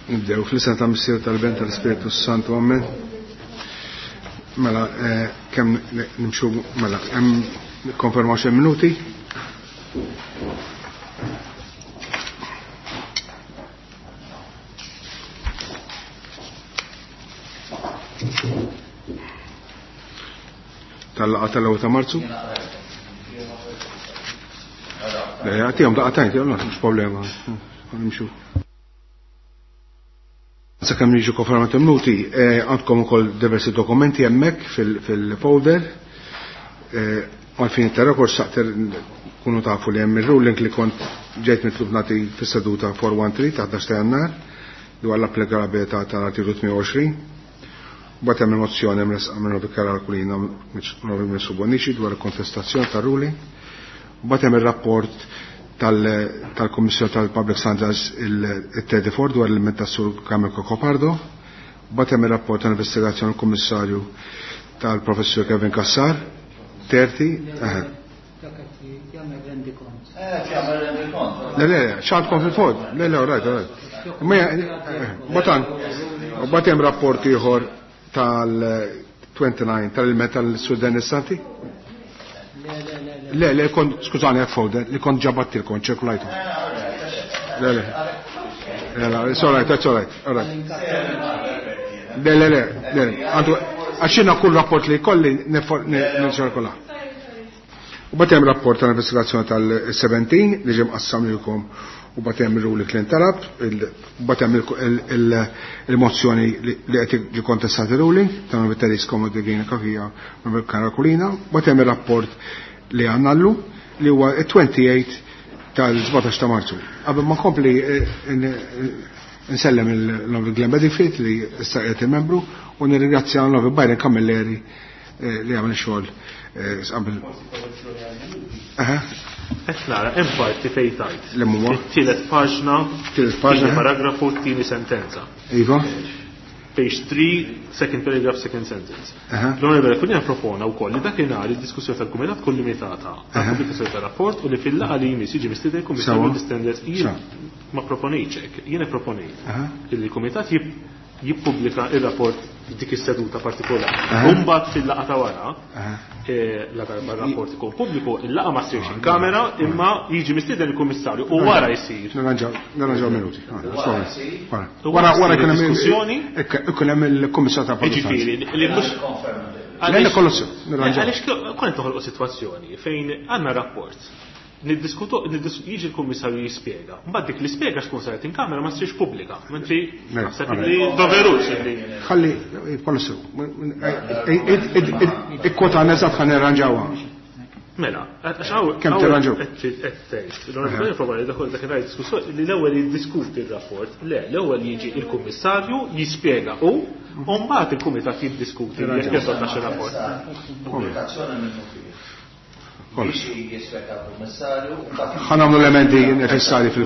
Nibdew fl-isem ta' Missier tal-Ben tal-Ispirtu Santu, Amen. Mela, eh, kemm nimxu, mela, hemm konfermaw xi minuti. Tal-laqa tal-ewwel ta' Marzu. Le, għatihom daqatajn, mhux problema. Nimxu. Sakemm jiġu konfermati minuti, eh, għandkom ukoll diversi dokumenti hemmhekk fil-folder. Eh, għalfin ta' rekord saqter kunu tafu li hemm il-ruling li kont ġejt mitlub nagħti fis-seduta 413 ta' 11 ta' Jannar dwar l-applikabilità tal-artiklu 28. Mbagħad hemm il-mozzjoni mresqa minn Robi Karol Kulina minn Bonici dwar il-kontestazzjoni tar-ruling. Mbagħad hemm ir-rapport tal-Kommissjoni tal-Public Standards il-34 dwar l-ilment tas-Sur Kamil Cocopardo. Mbagħad hemm ir-rapport tal-investigazzjoni l-Kummissarju tal-Professur Kevin Kassar. 30. Le, le, x'għandkom fil-fod? Le, le, all right, all right. Botan, bat hemm rapport ieħor tal-29 tal-ilment tal-Sur Dennis Santi? Le, le, kont, skużani, għak folder, li kont ġabattilkom, ċirkulajtu. Le, le. Le, le, it's all right, it's all right, all right. Le, le, le, le, għandu, għaxina kull rapport li kolli nirċirkula. U bat hemm rapport tal-investigazzjoni tal-17 li ġie mqassam lilkom u bat hemm ir-ruling li ntalab, u bat hemm il-mozzjoni li qed jiġi kontestati ruling ta' Viteris Komodegina Kakija u Karakulina, bat hemm ir-rapport li għandna llum li huwa 28 tal-17 ta' Marzu. Qabel ma nkompli eh, nsellem l-Onorevoli Glenn Bedingfield li issa qiegħed il-membru u nirringrazzja l-Onorevoli Byron Camilleri eh, li għamel xogħol eh, qabel. Qed nara hemm parti fejn tajt. L-hemm huwa? Tielet paġna, Tielet paġna, tieni paragrafu, tieni sentenza. Iva. Page 3, second paragraph, second sentence. L-Onorevole Aquilina propona wkoll li dakinhar id-diskussjoni tal-Kumitat tkun limitata għal pubblikazzjoni tar-rapport u li fil-laqgħa li jmiss jiġi mistieden il-Kummissarju l-Standards. Jien ma proponejtx hekk, jien proponejt li l-Kumitat jippubblika ir-rapport f'dik is-seduta partikolari. Mbagħad fil-laqgħa ta' wara, eh, la darba r-rapport ikun pubbliku, il-laqgħa ma ssirx in kamera, imma jiġi mistieden il-Kummissarju u wara jsir. Nirranġaw minuti. Wara wara kien hemm diskussjoni. Ikun hemm il-Kummissarju ta' Ġifieri li mhux Le, kollox nirranġaw. Għaliex kont toħolqu sitwazzjoni fejn għandna rapport. Niddiskutu, jiġi l-kummissarju jispjega. Mbagħad dik li spjega x'tkun saret in kamera ma ssirx pubblika. Mentri naħseb li doverux li. Ħalli kollox sew. Ikkwota eżatt ħa nirranġawha. Mela, għax hawn Kemm tirranġaw? Qed tgħid, l-onorevoli probabbli dak dak diskussjoni li l-ewwel jiddiskuti r-rapport, le, l-ewwel jiġi il-kummissarju jispjega u mbagħad il-kumitat jiddiskuti jekk jadottax ir-rapport. Pubblikazzjoni minnu fih. Kollox. Jiġi jispjega l-kummissarju u mbagħad Ħa nagħmlu l-emendi neċessarji fil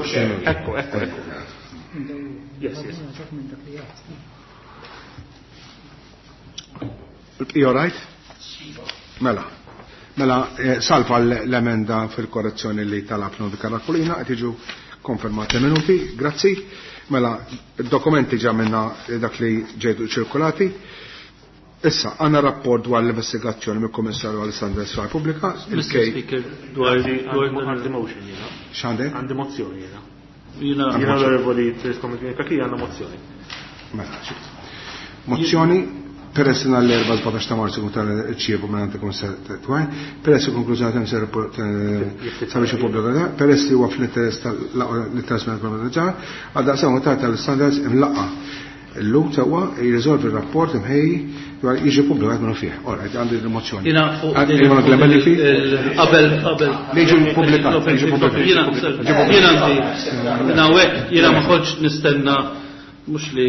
Ekku, ekku, ekku. Yes, yes. Il-bqija right? Mela. Mela, eh, salva l-emenda fil-korrezzjoni li talab Novi Karakulina, qed jiġu konfermati minuti, grazzi. Mela, id-dokumenti ġa minna dak li ġejtu ċirkulati. Issa, għanna rapport dwar l-investigazzjoni mill kummissarju Alessandra Sfar Pubblika, Mr. il-K. Speaker, dwar Għandi motion jiena. X'għandek? Għandi mozzjoni jiena. Jiena Jiena l-onorevoli Therese Comodini Cachia għandna mozzjoni. Mela, xift. Mozzjoni peress li nhar l-erba' 17 ta' Marzu kun tal-ċievu minn għand il-Kummissarju Twajn, peress li konklużjoni ta' ser sabiex ippubblika peress li huwa fl-interess tal-interess mill-Kummissarju għal daqsam ta' tal-standards imlaqqa. Illum sewwa jirriżolvi r-rapport imħejji dwar jiġi ppubblikat minnu fih. Ora, għandi l-mozzjoni. Jiena fuq Għandi l-mozzjoni li fi? qabel qabel Li jiġi ppubblikat, jiġi ppubblikat. Jiena jiena għandi jiena hawnhekk jiena ma kontx nistenna mhux li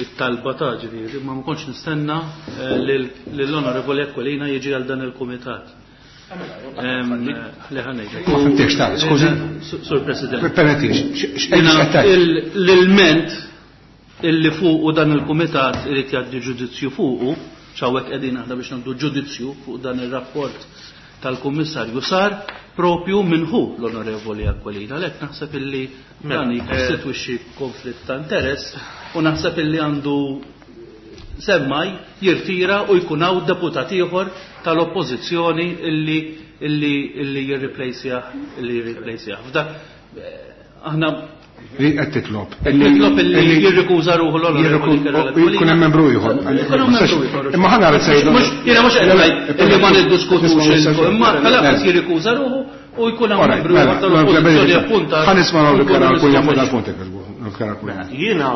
it-talba ta' ġifieri, ma ma kontx nistenna lill-Onorevoli Aquilina jiġi għal dan il-kumitat. Li ħa ngħidlek. Ma fimtix ta' skużi. Sur President. Permettix, Jiena l-ilment illi fuqu dan il-kumitat irid jgħaddi ġudizzju fuqu, x'hawnhekk qegħdin aħna biex nagħdu ġudizzju fuq dan ir-rapport tal-Kummissarju sar propju minn hu l-Onorevoli Aquilina. Għalhekk naħseb illi dan jikkostitwixxi konflitt ta' interess u naħseb illi għandu semmaj jirtira u jkun hawn deputat ieħor tal-Oppożizzjoni illi illi illi jirriplejsjah illi jirriplejsjah. F'dak aħna Li qed titlob. Nitlob illi jirrikuża ruħu l-Onorevoli Jkun hemm membru ieħor. Imma ħa nara sejdu. Jiena mhux qed ngħid illi ma niddiskutux imma tal-anqas jirrikuża ruħu u jkun hawn membru ieħor tal-Oppożizzjoni appuntat. Ħa nisma' l-Onorevoli fuq dal-punt. Jiena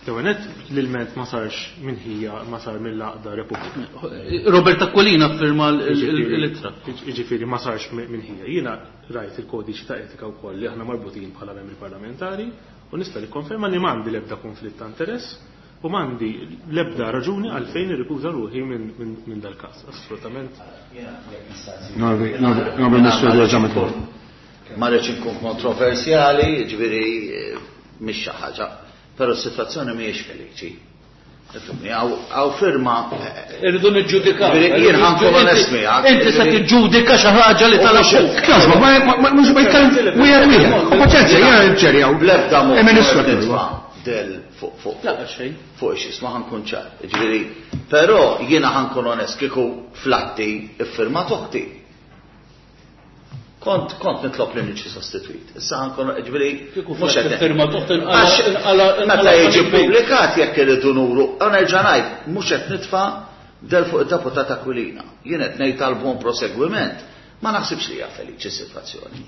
l-ewwel nett l-ilment ma sarx minn ħija ma sar mill-għaqda Repubblika. Robert Aquilina ffirma l-ittra. Jiġifieri ma sarx minn ħija. Jiena rajt il-kodiċi ta' etika wkoll li aħna marbutin bħala membri parlamentari u nista' nikkonferma li m'għandi l-ebda konflitt ta' interess u m'għandi l-ebda raġuni għalfejn irrikuża ruħi minn dal-każ. Assolutament. Ma rridx inkun kontroversjali, jiġifieri mhix xi ħaġa, però s-sitwazzjoni mhijiex feliċi. Ifhimni, hawn firma. Irridu niġġudikaw. Jien ħa nkun onest miegħek. Inti se tiġġudika xi ħaġa li talab hu. Kjażma, ma mhux ma jitkellem wieħed wieħed. U paċenzja, jiena nċerjaw. Bl-ebda mod. Il-Ministru nitfa' del fuq fuq. La xejn. Fuq x'isma' ħa nkun ċar. Ġifieri, però jiena ħa nkun onest kieku flatti iffirmat oħti. Kont kont nitlob li niġi sostitwit. Issa ħankun ġifieri mhux qed firma toħt inqala meta jiġi ppubblikat jekk irridu nuru, u nerġa' ngħid mhux qed nitfa' del fuq id-deputat Aquilina. Jien qed ngħid għal buon proseguiment, ma naħsibx li hija feliċi s-sitwazzjoni.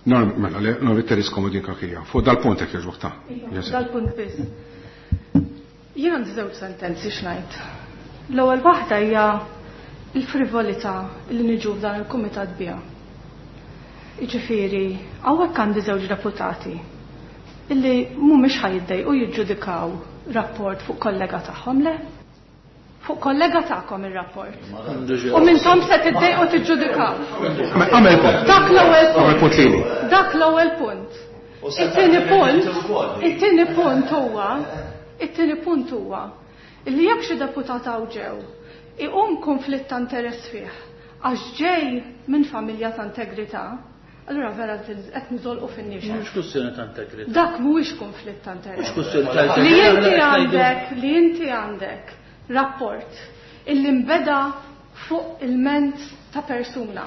Mela, le, no, Teres Comodini Cachia. Fuq dal-punt jekk jogħġbok ta'. Dal-punt biss. Jien għandi żewġ sentenzi x'ngħid. L-ewwel waħda hija l-frivolità li niġu f'dan il-kumitat biha. Jiġifieri, hawnhekk għandi żewġ deputati illi mhumiex ħa jiddejqu jiġġudikaw rapport fuq kollega tagħhom, le? Fuq kollega tagħkom ir-rapport. U mintom se tiddejqu tiġġudikaw. Għamel punt. Dak l-ewwel Għamel punt lili. Dak l-ewwel punt. It-tieni punt, it-tieni punt huwa, it-tieni punt huwa li jekk xi deputat hawn ġew iqum konflitt ta' interess fih għax ġej minn familja ta' integrità, allura vera qed niżolqu fin-nixef. Mhux kwestjoni ta' integrità. Dak mhuwiex konflitt ta' interess. Mhux kwestjoni ta' integrità. Li inti għandek, li inti għandek rapport illi nbeda fuq il-ment ta' persuna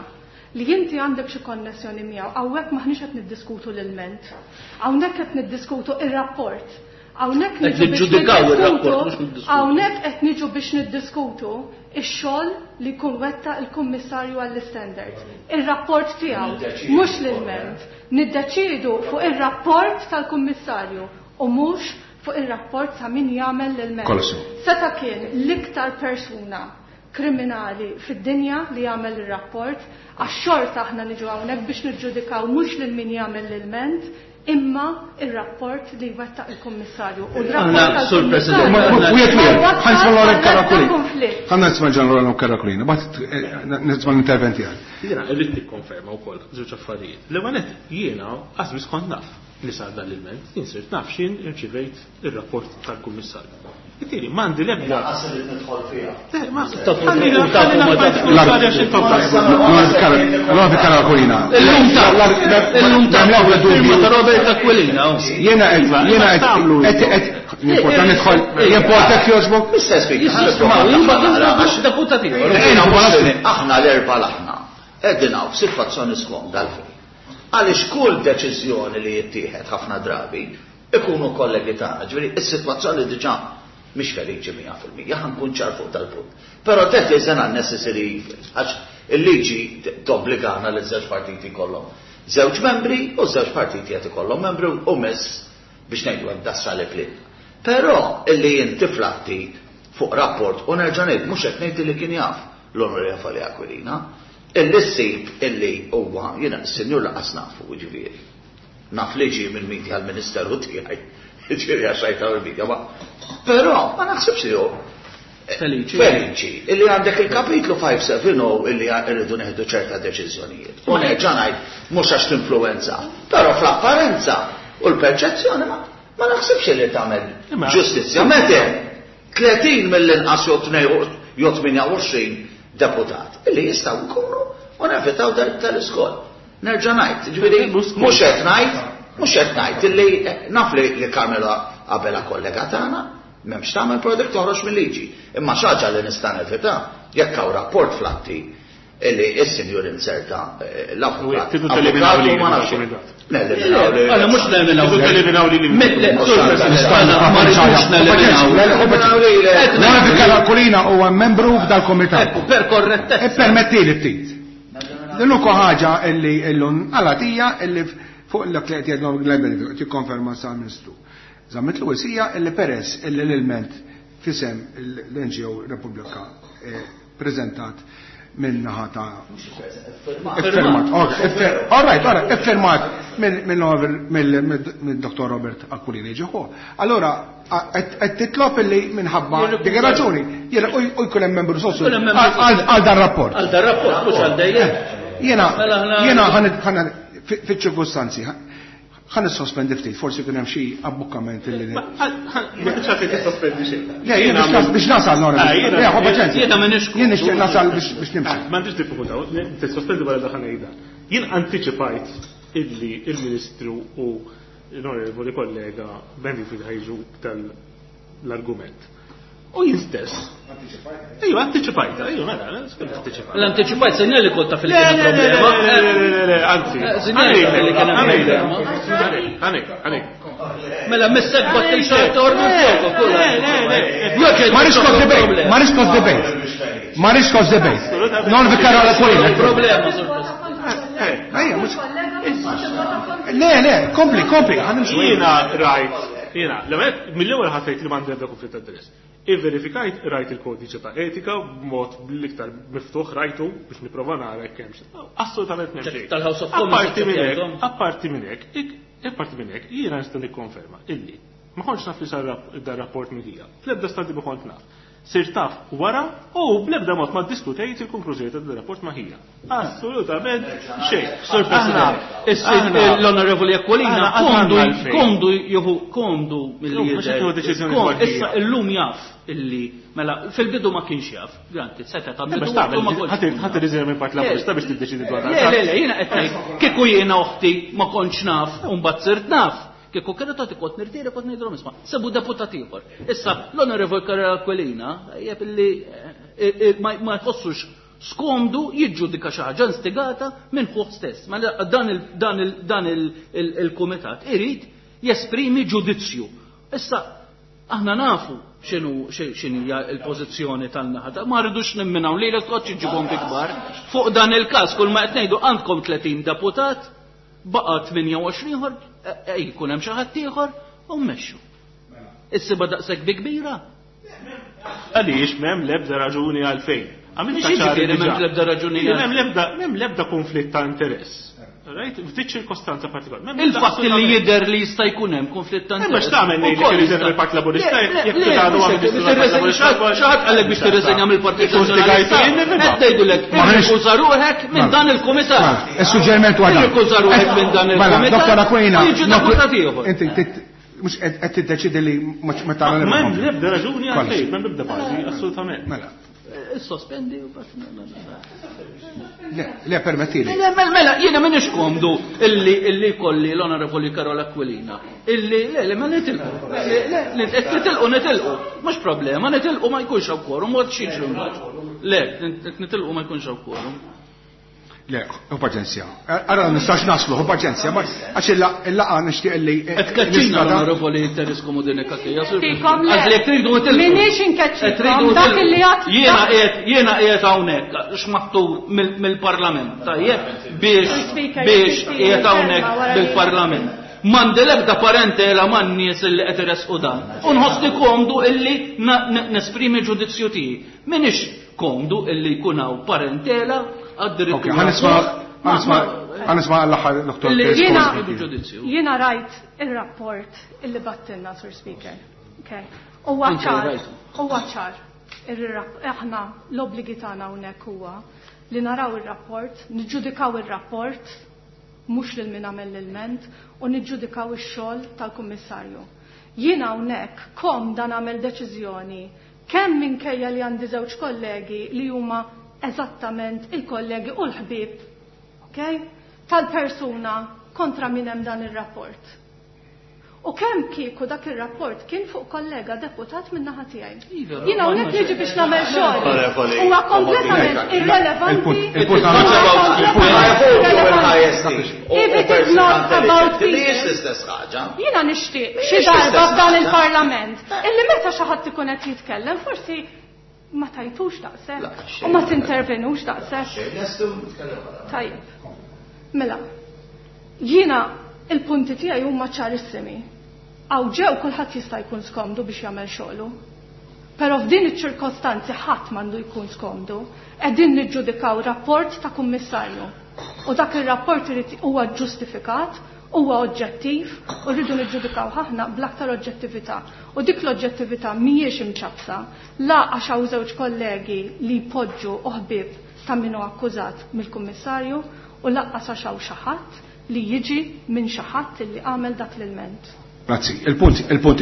li inti għandek xi konnessjoni miegħu, hawnhekk m'aħniex qed niddiskutu l-ilment. Hawnhekk qed niddiskutu ir-rapport. Hawnhekk Qed niġu biex niġġudikaw ir-rapport, niddiskutu, mhux niddiskutu. hawnhekk qed niġu biex niddiskutu ix-xogħol li jkun wettaq il-Kummissarju għall-Istandards. Ir-rapport tiegħu, mhux l-ilment. Niddeċiedu fuq ir-rapport tal-Kummissarju u mhux fuq ir-rapport ta' min jagħmel l-ilment. Kollha sew. Seta' kien l-iktar persuna kriminali fid-dinja li jagħmel ir-rapport, għax xorta aħna niġu hawnhekk biex niġġudikaw mhux lil min jagħmel l-ilment, imma ir-rapport li jwettaq il-Kummissarju. U Aħna, r-rapport Sur President, tal-Kummissarju Wieħed wieħed, ma ħa nisma' wassal l-Onorevoli għal Caracciolina. konflitt. Ħa nisma' l-Onorevoli Caracciolina, mbagħad nisma' l-intervent tiegħek. Jiena rrid nikkonferma wkoll żewġ affarijiet. L-ewwel nett jiena qas biss kont naf li sar dan l-ilment, jien sirt naf x'jien irċivejt ir-rapport tal-Kummissarju. Jiġifieri m'għandi l-ebda. Lanqas irrid nidħol fiha. Le, ma Tafu, ħalli tafu, ħalli ma l-affarijiet tafu. tkun ċari għax intom tafu. L-Onorevoli Caracciolina. Illum ta' illum ta' firma ta' Robert Aquilina. Jiena qed jiena qed qed jimporta nidħol, jimporta jogħġbok. Mr. Speaker, Jisma' jimma deputat ieħor. Aħna l-erba' l-aħna qegħdin hawn f'sitwazzjoni skomda għalfejn. Għaliex kull deċiżjoni li jittieħed ħafna drabi ikunu kollegi tagħna, ġifieri is-sitwazzjoni diġà mhix feliċi 100%, ħa nkun ċar fuq dal-punt. Però that is an unnecessary evil, għax il-liġi tobbligana li żewġ partiti jkollhom żewġ membri u żewġ partiti qed ikollhom membri u miss biex ngħidu hekk dassali plin. Però illi inti flatti fuq rapport u nerġa' ngħid mhux qed ngħid li kien jaf l-Onorevoli Aquilina, illi ssib illi huwa jiena s-sinjur laqas nafu ġifieri. Naf li ġie mill-media għall-Ministeru tiegħi, ġifieri għax rajta mill-media, ma però ma naħsibx li hu Feliċi. Feliċi, illi għandek il-kapitlu 570 illi rridu neħdu ċerta deċiżjonijiet. U nerġa' ngħid mhux għax tinfluwenza, però fl-apparenza u l-perċezzjoni ma ma naħsibx li tagħmel Imma- ġustizzja. Meta 30 mill-inqas jew 28 deputat illi jistgħu jkunu u nevitaw tal-iskol. Nerġa' ngħid, ġifieri mhux qed ngħid, mhux qed ngħid illi naf li Carmelo Abela kollega tagħna, m'hemmx tagħmel product toħroġ mill-liġi. Imma xi ħaġa li nista' nevita jekk hawn rapport flatti illi s-sinjur inserta l-avukat. Tridu teliminaw li ma nafx. Għala mhux neliminaw. Tridu teliminaw li Ma rridux neliminaw. L-Onorevoli Aquilina huwa membru f'dal-komitat. Ekku, per korrettezza. Ippermettili ftit. L-unika ħaġa illi illum għalatija illi fuq l qed jgħidlhom Glenn Benedict tikkonferma sa Ministru. Zammit Lewis hija illi peress illi l-ilment fisem l-NGO Repubblika preżentat minn naħa ta' Iffirmat, all right, all right, iffirmat mill-Dr. Robert Aquilina ġieħu. Allora, qed titlob illi minħabba dik ir-raġuni, jiena u jkun hemm membru sosu għal dan rapport. Għal dan rapport, mhux għal dejjem. Jiena jiena ħan fiċ-ċirkustanzi ħan sospendi ftit, forsi kien hemm xi abbukkament illi. Ma tridx għalfejn tissospendi xejn. Le, jien biex nasal nora. Le, ħu paċenzja. Jiena m'iniex Jien nixtieq nasal biex nimxi. M'għandix diffikultà, tissospendi wara daħal ngħidha. Jien antiċipajt illi il-Ministru u l-onorevoli kollega Benfield ħajġu tal-argument. U jien stess. Ejju, antiċipajta, ejju, mela, antiċipajta. L-antiċipajt sinjal li konta fil kien problema. Le, le, le, le, anzi. Sinjal li kien problema. Għanek, għanek. Mela, missek battil xart ordu fuq, Le, le, le. Ma rix cause debate, ma rix cause debate. Ma rix cause debate. Non vikara la Aquilina. Problema, Sur President. Ejja, mhux. Le, le, kompli, kompli, ħanimxu. Jiena rajt, jiena, mill-ewwel ħassejt li m'għandi ebda konflitt ta' interess. Ivverifikajt rajt il-kodiċi ta' etika b'mod bl-iktar miftuħ rajtu biex nipprova nara jekk hemmx. Assolutament m'hemm xejn. Tal-House of Commons Apparti minn hekk, aċċettajthom? apparti minn hekk, apparti minn hekk, jiena nista' nikkonferma illi ma kontx naf li sar dar rapport minn hija. Fl-ebda stadju ma kont naf. Sir taf wara u bl-ebda mod ma ddiskutejt il-konklużjoni ta' dan rapport ma hija. Assolutament xejn. Sur President, l-Onorevoli Aquilina Aħna komdu għalfejn. komdu jieħu komdu milli Illum mhux qed jidher. jieħu deċiżjoni Kom- dwar hija. Issa illum jaf illi mela fil-bidu ma kienx jaf, granti, seta' ta' Biex bidu tagħmel, ma kontx ħadd nkun ħadd naf. irriżenja minn Partit Laburista biex tiddeċidi dwar Le, le, le, jiena qed ngħid, kieku jiena oħti ma kontx naf u mbagħad sirt naf. Kieku kienet tagħti kont nirtira kont ngħidilhom isma' sebu deputat ieħor. Issa l-Onorevoli Karol Aquilina jeb illi ma jħossux skomdu jiġġudika xi ħaġa instigata minn ħuh stess. Mela dan il-kumitat irid jesprimi ġudizzju. Issa aħna nafu x'inhija l-pożizzjoni tan-naħa. Ma rridux nimminaw li l-koċ iġibhom bi kbar. Fuq dan il-każ kull ma qed ngħidu għandkom 30 deputat, baqa' 28 ieħor, jkun hemm xi ħadd ieħor u mmexxu. Issiba daqshekk bi kbira. Għaliex m'hemm l-ebda raġuni għalfejn. Għamilt Mhux ċari jiġifieri m'hemm diġà. l-ebda raġuni M'hemm għalfejn. l-ebda, m'hemm l-ebda konflitt ta' interess. Right? F'dik ċirkostanza partikolari. M'hemm l-ebda Il-fatt li assolutament. jidher li jista' jkun hemm konflitt ta' Imma interess. x'tagħmel ngħidlek Ukoll irriżenja jista' mill-Partit Laburista Le, le, jekk le, titgħadu mhux għamil hekk, Partit Laburista, Xi ħadd qalek biex tirriżenja mill-Partit Ikun Nazzjonalista. stigajt jien, nifhimha. Qed ngħidulek, Ma ħanix- irrikuża ruħek minn Mela. dan il-kumitat. Mela, Is-suġġeriment huwa dan. Irrikuża ruħek minn dan Mela, il-kumitat. Dr. Aquilina, u jiġi deputat ieħor. Inti mhux qed tiddeċidi li ma tagħmel. M'hemm l-ebda raġuni għalfejn, m'hemm l-ebda bażi, assolutament. Mela. Sospendi u bas. Le, le, permettili. Le, mela, mela, jiena m'iniex komdu illi kolli l-Onorevoli Karol Aquilina. Illi, le, le, ma nitilqu. Le, le, nitilqu, nitilqu. Mhux problema, nitilqu ma jkunx hawn quorum, ma txiex imbagħad. Le, nitilqu ma jkunx hawn quorum. Le, u paċenzja. Ara nistax naslu, u paċenzja, ma għax il-laqa nixtieq li. Qed tkeċċina l-Onorevoli Teres Comodini Cachia. Tikom le. Għax li tridu nitilqu. Minix Qed inkeċċikom, tridu dak nitilqu. illi għat. Jiena qiegħed jiena qiegħed hawnhekk x'maħtur mill-Parlament, tajjeb, biex Speaker, biex jekk qiegħed hawnhekk wara li- bil-Parlament. M'għandi l-ebda parentela man-nies illi qed iresqu dan. U nħossni komdu illi nesprimi ġudizzju tiegħi. Minix komdu illi jkun hawn parentela għad-dirittura. Ok, ħanisma' l-aħħar Dr. Illi Teres Jiena- Comodini. ġudizzju. Jiena rajt il-rapport illi battilna, Sur Speaker. Okay. Huwa Anke ċar, rajtu. huwa ċar. Aħna l-obbligi tagħna hawnhekk huwa li naraw ir-rapport, niġġudikaw ir-rapport, mhux lil min għamel l-ilment, u niġġudikaw ix-xogħol tal-Kummissarju. Jiena hawnhekk kom dan għamel deċiżjoni kemm minkejja li għandi żewġ kollegi li huma eżattament il-kollegi u l-ħbieb, okay, tal-persuna kontra min hemm dan ir-rapport. U kemm kieku dak ir-rapport kien fuq kollega deputat minn naħa tiegħi. Iva, Jiena hawnhekk niġi biex nagħmel xogħol. Onorevoli, Huwa kompletament Comodini. irrelevanti. Il-punt- Huwa kompletament irrelevanti. If it is not about people. Mhijiex l-istess ħaġa. Jiena nixtieq xi Mhijiex darba l-istess f'dan ħaġa. il-Parlament illi meta xi ħadd ikun qed jitkellem forsi ma tajtux daqshekk La, u ma xejn. tintervenux daqshekk. Xejn, lestu nitkellem wara. Tajjeb. Mela, jiena il-punti tiegħi huma ċarissimi. Hawn ġew kulħadd jista' jkun skomdu biex jagħmel xogħlu. Però f'din iċ-ċirkostanzi ħadd m'għandu jkun skomdu. Qegħdin niġġudikaw rapport ta' kummissarju. U dak ir-rapport irid huwa ġustifikat, huwa oġġettiv u rridu niġġudikaw aħna bl-aktar oġġettività. U dik l-oġġettività mhijiex imċapsa, la għax hawn żewġ kollegi li jpoġġu u ħbieb ta' min hu akkużat mill-kummissarju u laqqas għax hawn xi ħadd li jiġi minn xi ħadd li għamel dak l-ilment. Grazzi. Il-punt, il-punt,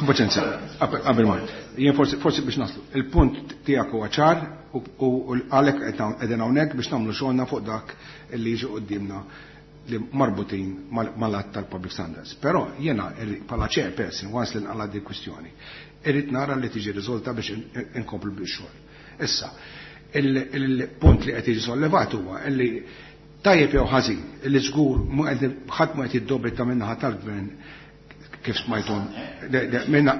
paċenza, qabel ma. Jien forsi biex naslu. Il-punt tiegħek huwa ċar u għalhekk qegħdin hawnhekk biex nagħmlu xogħolna fuq dak li jiġi quddiemna li marbutin mal-att tal-public standards. Però jiena bħala chairperson, once li nqala di kwistjoni, irrid nara li tiġi riżolta biex inkomplu bix-xogħol. Issa, il-punt li qed jiġi sollevat huwa li tajjeb jew ħażin, li żgur ħadd ma qed jiddobita min-naħa tal-gvern kif smajthom, minna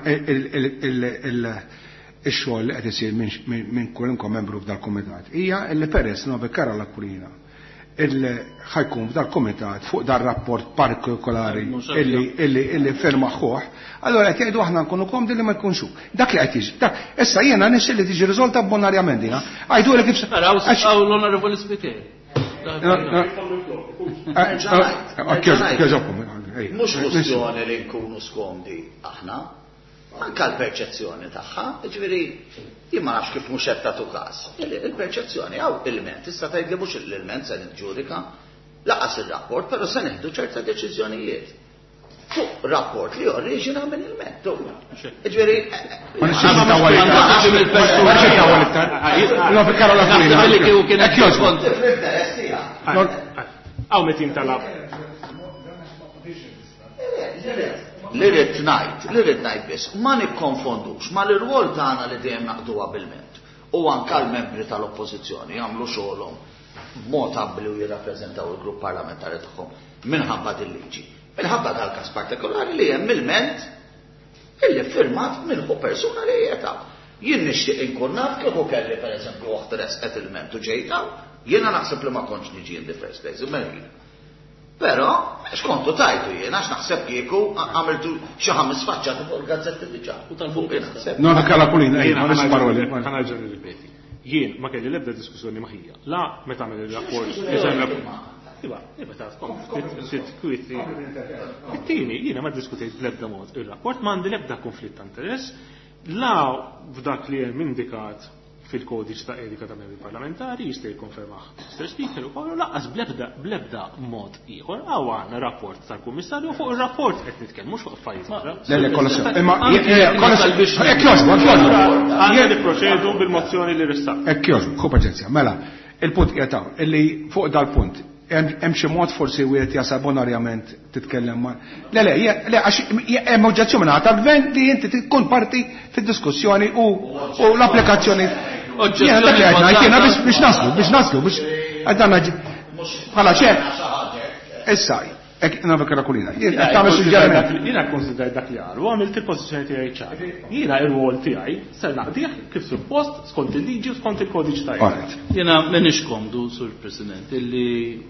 ix-xogħol li qed isir minn kwalunkwe membru f'dal-kumitat hija li peress Nove Karol Aquilina ħajkun f'dal-kumitat fuq dar-rapport partikolari illi firma ħuh, allora qed jgħidu aħna nkunu komdi li ma jkunx hu. Dak li qed jiġi. Dak, issa jiena nixtieq li tiġi riżolta bonarjament dina. Għajdu li kif Araw, hawn l-Onorevoli Spiteri. Mhux kwestjoni li nkunu skomdi aħna, anka l-perċezzjoni tagħha, jiġifieri jien ma nafx kif mhux qed tagħtu każ. Il-perċezzjoni hawn ilment, issa tgħid li mhux l-ilment se niġġudika, laqas ir-rapport, però se neħdu ċerta deċiżjonijiet. Fuq rapport li oriġina minn ilment. Jiġifieri Ma nixtieqx nitawwal iktar. Ma nixtieqx nitawwal iktar. No, fi Karol Aquilina. Naħseb li kieku kien Hekk jogħġbok. Fl-interess tiegħek. Hawn meta jintalab. Li rrid ngħid, li rrid ngħid biss, ma nikkonfondux ma l-irwol tagħna li dejjem naqduha bil-ment u anke l-membri tal-oppożizzjoni jagħmlu xogħolhom b'mod abbli u jirrappreżentaw il-grupp parlamentari tagħhom minħabba din liġi. Minħabba dal-każ partikolari li hemm ilment illi firmat minn hu persuna li qiegħed. Jien nixtieq inkun naf kieku kelli pereżempju waħda resqet ilment u ġejta, jiena naħseb li ma kontx niġi in the first place, imma jiena. Però, x'kontu tajtu jien, għax naħseb kieku għamiltu xi ħames faċċati fuq il-gazzetti diġà. U tal-Bunkista. Naħseb. No, Karol Aquilina, ejja, Jiena ma nix paroli. ħa nerġa' nirripeti. Jien ma kelli l-ebda diskussjoni ma' ħija. La meta għamel il-rapport, eżem rapport. Iva, iva ta' ftit kwieti. It-tieni, jiena ma ddiskutejt bl-ebda mod ir-rapport, ma għandi l-ebda konflitt ta' interess, la f'dak li hemm indikat fil-kodiċ ta' etika ta' membri parlamentari, jista' jikkonfermah Mr. Speaker ukoll, u lanqas bl-ebda mod ieħor, hawn għandna rapport tal-Kummissarju fuq ir-rapport qed nitkellmu mhux fuq affarijiet oħra. Le, le, kollha sew. Imma Anke jekk kollha nasal sew. biex- Hekk jogħġbok, hekk jogħġbok. Għandna nipproċedu bil-mozzjoni li ressaq. Hekk jogħġbok, ħu paċenzja. Mela, il-punt qiegħed hawn, illi fuq dal-punt hemm xi mod forsi wieħed jasal bonarjament titkellem ma' Le, le, le, għax hemm oġġezzjoni minn tal-gvern li inti tkun parti fid-diskussjoni u l-applikazzjoni. Jiena dak li qed ngħid, jiena biex naslu, biex naslu, biex għadna bħala ċe. Issa, hekk nagħmel Aquilina. Jien qed tagħmel suġġeriment. Jiena kkonsidrajt dak li qalu, għamilt il-pożizzjoni tiegħi ċar. Jiena ir-rwol tiegħi ser naqdih kif suppost skont il-liġi u skont il-kodiċ tiegħi. Alright. Jiena m'iniex komdu, Sur President, illi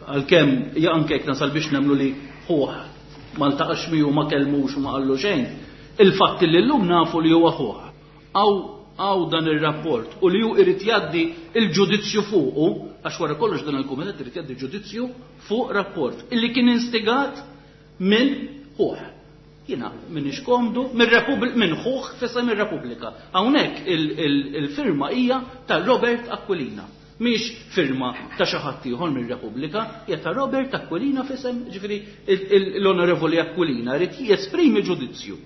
għalkemm ja anke jekk nasal biex nemmnu li ħuh ma ltaqax miegħu ma kellmux u ma qallu xejn, il-fatt li llum nafu li huwa ħuh. Għaw dan ir-rapport u li hu irid jgħaddi il-ġudizzju fuqu, għax wara kollox dan il-kumitat irid jgħaddi ġudizzju fuq rapport illi kien instigat minn ħuh. Jiena m'iniex komdu minn ħuh f'isem ir-Repubblika. Hawnhekk il-firma hija ta' Robert Aquilina. Mhix firma ta' xi ħadd ieħor mir-Repubblika, hija ta' Robert Aquilina f'isem, ġifieri l-Onorevoli Aquilina jrid jesprimi ġudizzju.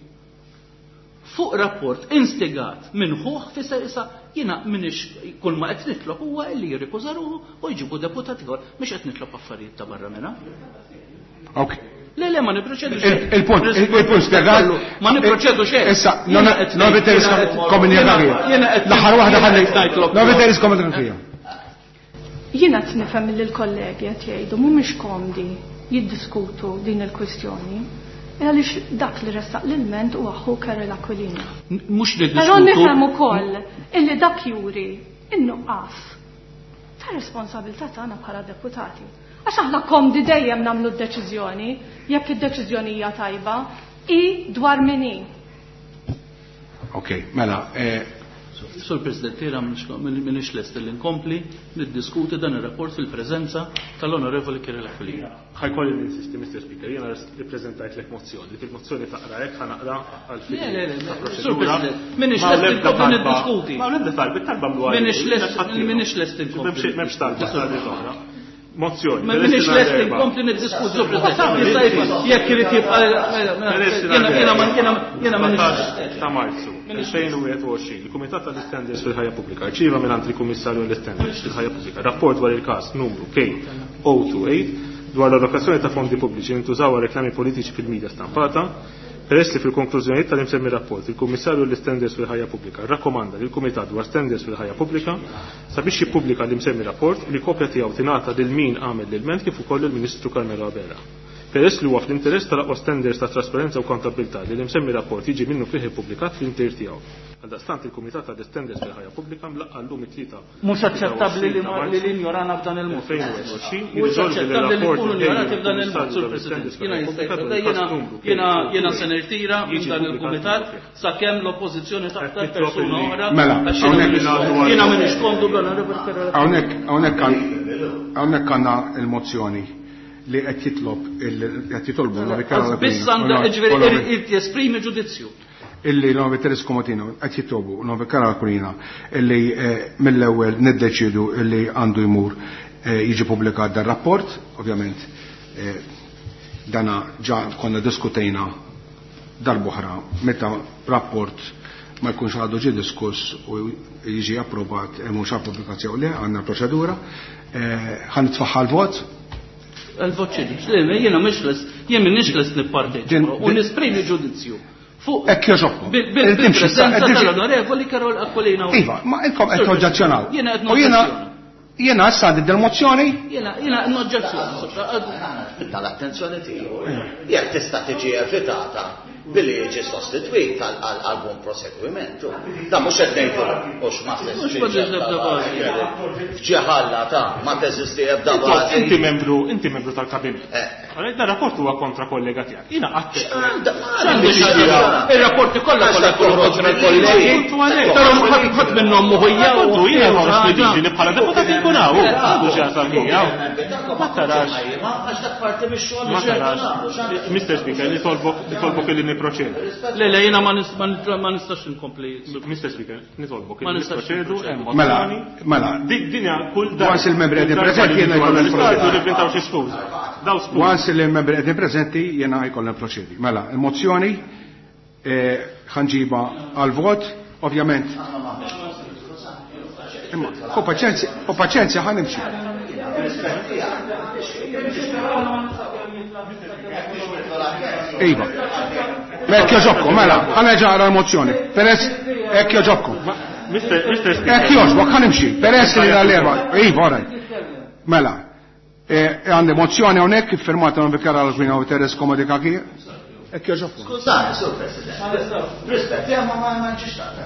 Fuq rapport instigat minn ħuh fisser issa jiena m'iniex kull ma qed nitlob huwa li jirrikuża ruħu u jġibu deputat ieħor mhux qed nitlob affarijiet ta' barra minn hawn. Ok. Le, le, ma niproċedu xejn. Il-punt, il-punt spjegat. Ma niproċedu xejn. Issa, non veteris komunikazzjoni. L-aħħar waħda ħalli. Non veteris komunikazzjoni. Jiena qed nifhem li l-kollegi qed jgħidu mhumiex komdi jiddiskutu din il-kwistjoni. Għaliex dak li ressaq l-ilment huwa ħu Karol Aquilina. Mhux niddiskutu. Però nifhem ukoll illi dak juri in-nuqqas ta' responsabilità tagħna bħala deputati. Għax aħna komdi dejjem nagħmlu d-deċiżjoni, jekk id-deċiżjoni hija tajba, hi dwar min hi. Ok, mela. Sur President, jiena m'iniex lest li nkompli niddiskuti dan ir-rapport fil-preżenza tal-Onorevoli Kirill Aquilina. Ħa jkolli ninsisti, Mr. Speaker, jiena ippreżentajtlek mozzjoni. Dik il-mozzjoni taqra hekk, ħa naqra għal fini Le, le, le, Sur President, m'iniex lest inkompli niddiskuti. Ma l-ebda talba, it-talba mlu għal. M'iniex lest inkompli. M'hemmx talba, talbiet oħra. Mozzjoni. Ma minix lest inkompli niddiskuti, Sur President. Jekk irid jibqa' jiena ma jiena ma ta' Marzu 2021, il-Kumitat tal-Istandards fil-Ħajja Pubblika rċieva mingħand il-Kummissarju għall-Istandards fil-Ħajja Pubblika rapport dwar il-każ numru K028 dwar l-allokazzjoni ta' fondi pubbliċi li ntużaw għal reklami politiċi fil-midja stampata. Peress li fil-konklużjonijiet tal-imsemmi rapport il-Kummissarju għall-Istandards fil-Ħajja Pubblika rrakkomanda lill-Kumitat dwar Standards fil-Ħajja Pubblika sabiex jippubblika l-imsemmi rapport u li kopja tiegħu tingħata lil min għamel l-ilment kif ukoll lill-Ministru Carmelo Abela. Peress li huwa fl-interess tal-aqwa standards ta' trasparenza u kontabbiltà li l-imsemmi rapport jiġi minnufih ippubblikat fl-intier tiegħu. Għaldaqstant il-Kumitat għall-Istandards fil-Ħajja Pubblika mlaqqa' llum it-Tlieta Mhux aċċettabbli li li f'dan il-mod. Mhux aċċettabbli li nkunu injorati f'dan il-mod, Sur President. Jiena jista' jiena jiena se nirtira minn dan il-kumitat sakemm l-oppożizzjoni taħtar persuna oħra. Mela, jiena m'iniex komdu bl-Onorevoli Ferrara. Hawnhekk hawnhekk hawnhekk għandna l-mozzjoni li qed jitlob qed jitolbu Biss għandha ġifieri irid jesprimi ġudizzju. Illi l-Onorevoli Teres Komotino qed jitolbu l-Onorevoli Karol Aquilina illi mill-ewwel niddeċiedu illi għandu jmur jiġi pubblikat dan rapport, ovvjament dana ġa konna diskutejna darb'oħra meta rapport ma jkunx għadu ġie diskuss u jiġi approvat mhux għal pubblikazzjoni le għandna proċedura. Ħa nitfaħħa l-vot. Il-vot x'inhi? Jiena mhix lest, jien m'iniex lest nipparteċipa u nesprimi ġudizzju. Fuq Hekk jogħġobkom. Bil-preżenza tal-Onorevoli Karol Aquilina. Iva, ma inkom qed toġġezzjonaw. Jiena qed U jiena issa għandi dil-mozzjoni. Jiena jiena noġġezzjona. Tal-attenzjoni tiegħu. Jekk tista' tiġi evitata billi jiġi sostitwit għal buon proseguimento. Da mhux qed ngħidu hux ma teżisti ebda bażi. F'ġeħalla ta' ma teżisti ebda bażi. Inti membru, inti membru tal-kabinett. Għalhekk dan rapport huwa kontra kollega tiegħek. Jiena qatt Ir-rapporti kollha kollha kontra l-kollegi. Però ħadd minnhom mhu hija. Kontu jiena ħoros li liġi li bħala deputat inkun hawn. Għandu xi jasal miegħu. Ma tarax. Ma tarax. Mr. Speaker, nitolbok li niproċedu. Le, le, jiena ma nistax inkompli. Mr. Speaker, nitolbok li niproċedu. Mela, mela. Dinja kull darba. Once il-membri qegħdin preżenti jiena jkollna niproċedu. Xi skuża. Daw skuża. Once il-membri qegħdin preżenti jiena jkollna niproċedi. Mela, il-mozzjoni ħanġiba għal-vot, ovvjament. Imma, u paċenzja, u paċenzja ħa nimxi. Iva. Hekk jogħġobkom, mela, ħa nerġa' naqra l-mozzjoni. Peress hekk jogħġobkom. Mister Speaker. Hekk jogħġbok, ħa nimxi. Peress li l-erba'. Iva, all right. Mela, għandi mozzjoni hawnhekk iffirmata minn Vikar Alvina u Teres Komodikaki. Hekk jogħġobkom. Skużani, Sur President. Rispett, ma ma nġiex taqta.